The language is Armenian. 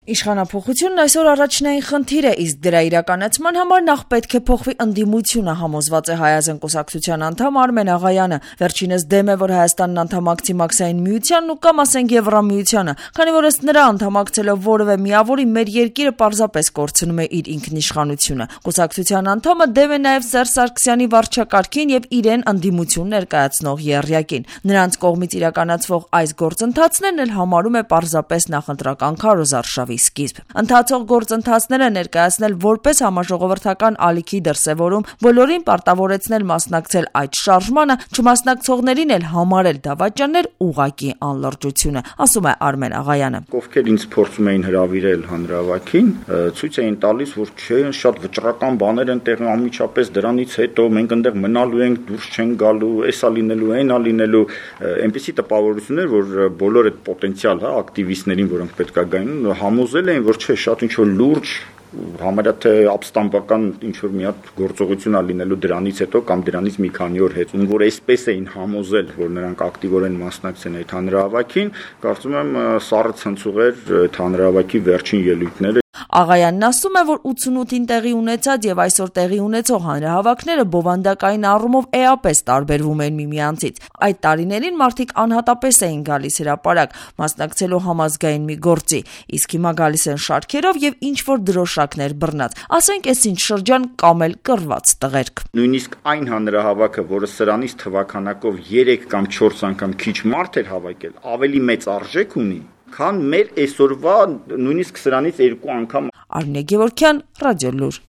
Իշխանափոխությունն այսօր առաջնային խնդիր է, իսկ դրա իրականացման համար նախ պետք է փոխվի ընդդիմությունը, համոզված է Հայ ազգային կուսակցության անդամ Արմեն Աղայանը։ Վերջինս դեմ է, որ Հայաստանն անդամակցի Մաքսային միությանն ու կամ ասենք Եվրամիությանը, քանի որ ըստ նրա անդամակցելով որևէ միավորի մեր երկիրը պարզապես կորցնում է իր ինքնիշխանությունը։ Կուսակցության անդամը դեմ է նաև Սերժ Սարգսյանի վարչակարգին եւ իրեն ընդդիմություն ներկայացնող եռյակին։ Նրանց կողմից իրականացվող այս գործընթացներն էլ համարում է պարզապես նախընտրական քարոզարշավի սկիզբ։ Ընթացող գործընթացները ներկայացնել որպես համաժողովրդական ալիքի դրսևորում, բոլորին պարտավորեցնել մասնակցել այդ շարժմանը, չմասնակցողներին էլ համարել դավաճաններ ուղղակի անլրջությունը, ասում է Արմեն Աղայանը։ Ովքեր ինձ փորձում էին հրավիրել հանրահավաքին, ցույց էին տալիս, որ չէ, շատ վճռական բաներ են տեղի, անմիջապես դրանից հետո մենք այնտեղ մնալու ենք, դուրս չեն գալու, էսա լինելու, այնա լինելու, այնպիսի տպավորություններ, որ բոլոր այդ պոտենցիալ, ակտիվիստներին, որոնք պետք է գային, համոզել էին, որ չէ, շատ ինչ որ լուրջ համարյա թե ապստամբական ինչ-որ մի հատ գործողություն է լինելու դրանից հետո կամ դրանից մի քանի օր հետ, որ այսպես էին համոզել, որ նրանք ակտիվորեն մասնակցեն այդ հանրահավաքին, կարծում եմ սառը ցնցուղ էր այդ հանրահավաքի վերջին ելույթները։ Աղայանն ասում է, որ 88-ին տեղի ունեցած եւ այսօր տեղի ունեցող հանրահավաքները բովանդակային առումով էապես տարբերվում են միմյանցից։ Այդ տարիներին մարդիկ անհատապես էին գալիս հրապարակ, մասնակցելու համազգային մի գործի, իսկ հիմա գալիս են շարքերով եւ ինչ-որ դրոշակներ բռնած, ասենք այսինչ շրջան կամ էլ կռված տղերք։ Նույնիսկ այն հանրահավաքը, որը սրանից թվականակով 3 կամ 4 անգամ քիչ մարդ էր հավաքել, ավելի մեծ արժեք ունի, քան մեր այսօրվա նույնիսկ սրանից 2 անգամ։ Արմինե Գևորգյան, Ռադիոլուր։